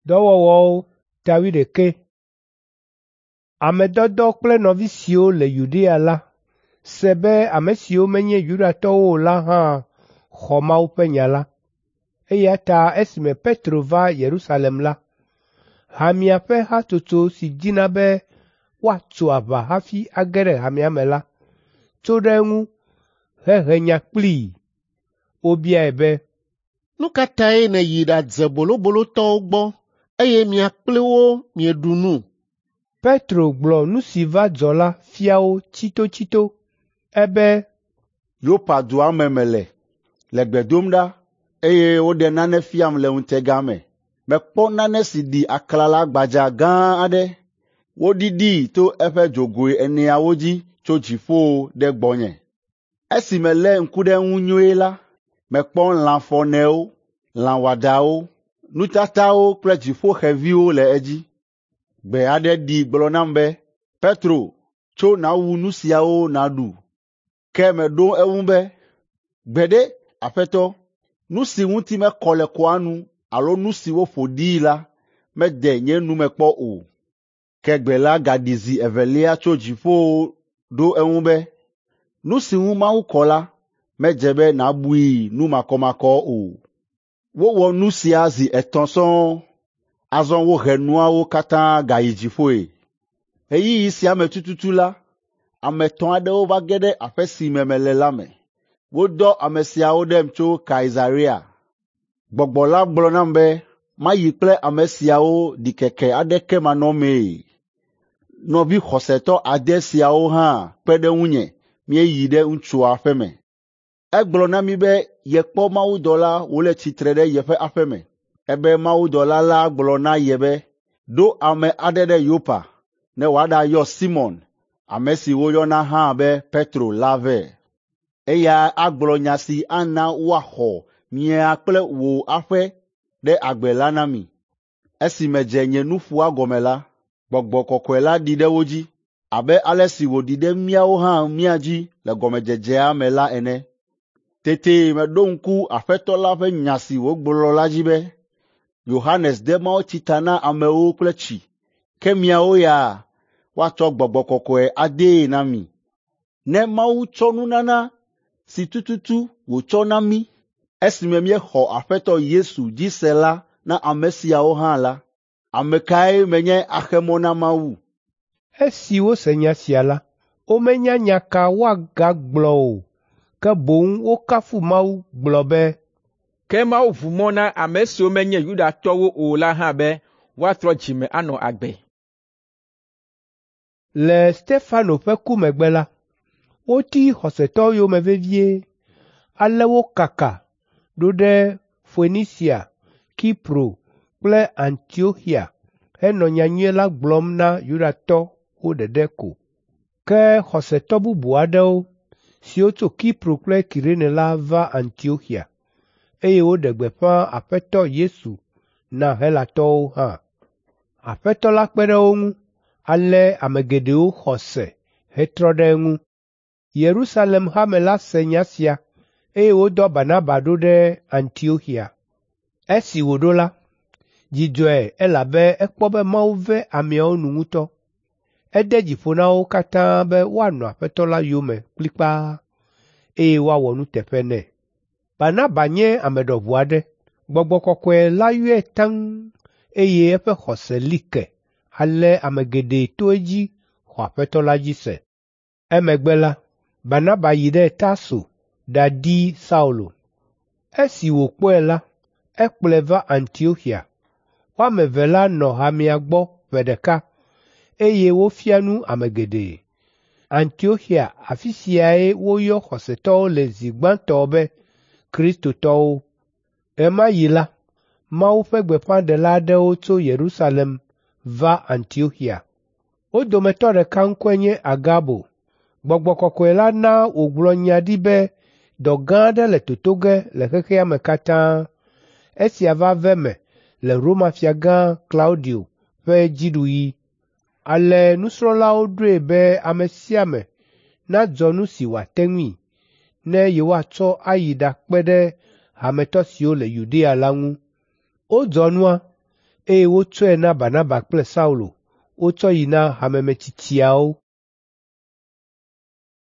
Dɔwɔwɔwo ta wuiɖekɛ. Ame dɔdɔ kple nɔvi siwo le Yudea la se be ame siwo menye Yudatɔwo o la hã xɔ Mawu ƒe nya la. Eya ta esime Petro va Yerusalem la, hamea ƒe hatsotso si dina be woatso aʋa hafi age ɖe hamea me la, tso ɖe eŋu hehe nya kplii. Wobiae be, “Nu ka tae nèyi ɖadze bolobolotɔwo gbɔ, eye mia kpli wo mieɖu nu?” Petro gblɔ nu si va dzɔ la fia wo tsitotsito. Ebe, “Yopa dua me mele, le gbe dom ɖa, eye woɖe nane fiam le ŋutega me. Mekpɔ nane si ɖi aklala gbadza gã aɖe. Woɖiɖii to eƒe dzogoe eneawo dzi tso dziƒo ɖe gbɔnye. Esi melé ŋku ɖe eŋu nyuie la, mekpɔ lãfɔnewo, lã wɔadãwo, nutatawo kple dziƒoxeviwo le edzi. Gbe aɖe ɖi gblɔ nam be, ‘Petro, tso nàwu nu siawo nàɖu.’ Ke meɖo eŋu be, ‘Gbeɖe, Aƒetɔ, nu si ŋuti mekɔ le kɔa nu alo nu si woƒo ɖii la, mede nye nu me kpɔ o.’ Ke gbe la gaɖi zi evelia tso dziƒo ɖo eŋu be, ‘Nu si ŋu Mawu kɔ la, medze be nàbui nu makɔmakɔ o.’ Wowɔ nu sia zi etɔ̃ sɔŋ. Azɔ wohe nuawo katã gayi dziƒoe. Ɣeyiɣi sia me tututu la, ame etɔ̃ aɖewo va ge ɖe aƒe si me mele la me. Wodɔ ame siawo ɖem tso Kaisarea. Gbɔgbɔ la gblɔ nam be mayi kple ame siawo ɖikeke aɖeke manɔmee. Nɔvi xɔsetɔ ade siawo hã kpe ɖe ŋunye míeyi ɖe ŋutsua ƒe me. Egblɔ na mí be yekpɔ mawudɔla wòle tsitre ɖe yeƒe aƒe me. Ebe mawudɔla la gblɔ na ye be, ‘Ɖo ame aɖe ɖe Yopa ne wòaɖayɔ Simɔn, ame si woyɔna hã be Petro la vɛ. Eya agblɔ nya si ana woaxɔ mia kple wò aƒe ɖe agbe la na mi.’ Esi medze nye nuƒoa gɔme la, Gbɔgbɔ Kɔkɔe la ɖi ɖe wo dzi abe ale si wòɖi ɖe míawo hã mía dzi le gɔmedzedzea me la ene. Tete meɖo ŋku Aƒetɔ la ƒe nya si wògblɔ la dzi be, ‘Yohanes de mawutsi ta na amewo kple tsi, ke miawo ya, woatsɔ Gbɔgbɔ Kɔkɔe adee na mi.’ Ne Mawu tsɔ nunana si tututu wòtsɔ na mí esime míexɔ Aƒetɔ Yesu dzi se la na ame siawo hã la, ame kae menye axe mɔ na Mawu?” Esi wose nya sia la, womenya nya ka woagagblɔ o, ke boŋ wokafu Mawu gblɔ be, “Ke Mawu ʋu mɔ na ame siwo menye Yudatɔwo o la hã be woatrɔ dzi me anɔ agbe.” Le Stefano ƒe ku megbe la, woti xɔsetɔwo yome vevie, ale wokaka ɖo ɖe Foenisia, Kipro kple Antioxia henɔ nyanyui la gblɔm na Yudatɔwo ɖeɖe ko. Ke xɔsetɔ bubu aɖewo, siwo tso Kipro kple Kirene la va Antioxia, eye woɖe gbeƒã Aƒetɔ Yesu na Helatɔwo hã. Aƒetɔ la kpe ɖe wo ŋu, ale ame geɖewo xɔ se hetrɔ ɖe eŋu. Yerusalem hame la se nya sia, eye wodɔ Barnaba ɖo ɖe Antioxia. Esi wòɖo la, dzi dzɔe elabe ekpɔ be Mawu ve ameawo nu ŋutɔ. Ede dzi ƒo na wo katã be woanɔ Aƒetɔ la yome kplikpaa, eye woawɔ nuteƒe nɛ. Barnaba nye ame ɖɔʋu aɖe. Gbɔgbɔ Kɔkɔe la yɔe taŋ, eye eƒe xɔse li ke ale ame geɖe to edzi xɔ Aƒetɔ la dzi se. Emegbe la, Barnaba yi ɖe Tarso ɖadi Saulo. Esi wòkpɔe la, ekplɔe va Antioxia. Wo ame eve la nɔ hamea gbɔ ƒe ɖeka, eye wofia nu ame geɖe. Antioxia afi siae woyɔ xɔsetɔwo le zi gbãtɔ be kristotɔwo. Ɣe ma ɣi la, Mawu ƒe gbeƒãɖela aɖewo tso Yerusalem va Antioxia. Wo dometɔ ɖeka ŋkɔe nye Agabo. Gbɔgbɔ Kɔkɔe la na wògblɔ nya ɖi be dɔ gã aɖe le toto ge le xexea me katã. Esia va ve me le Roma fiagã Klaudio ƒe dziɖuɣi. Ale nusrɔ̃lawo ɖoe be ame sia ame nadzɔ nu si wòate ŋui, ne yewoatsɔ ayi ɖakpe ɖe hametɔ siwo le Yudea la ŋu. Wodzɔ nua, eye wotsɔe na Barnaba kple Saulo wotsɔ yi na hamemetsitsiawo.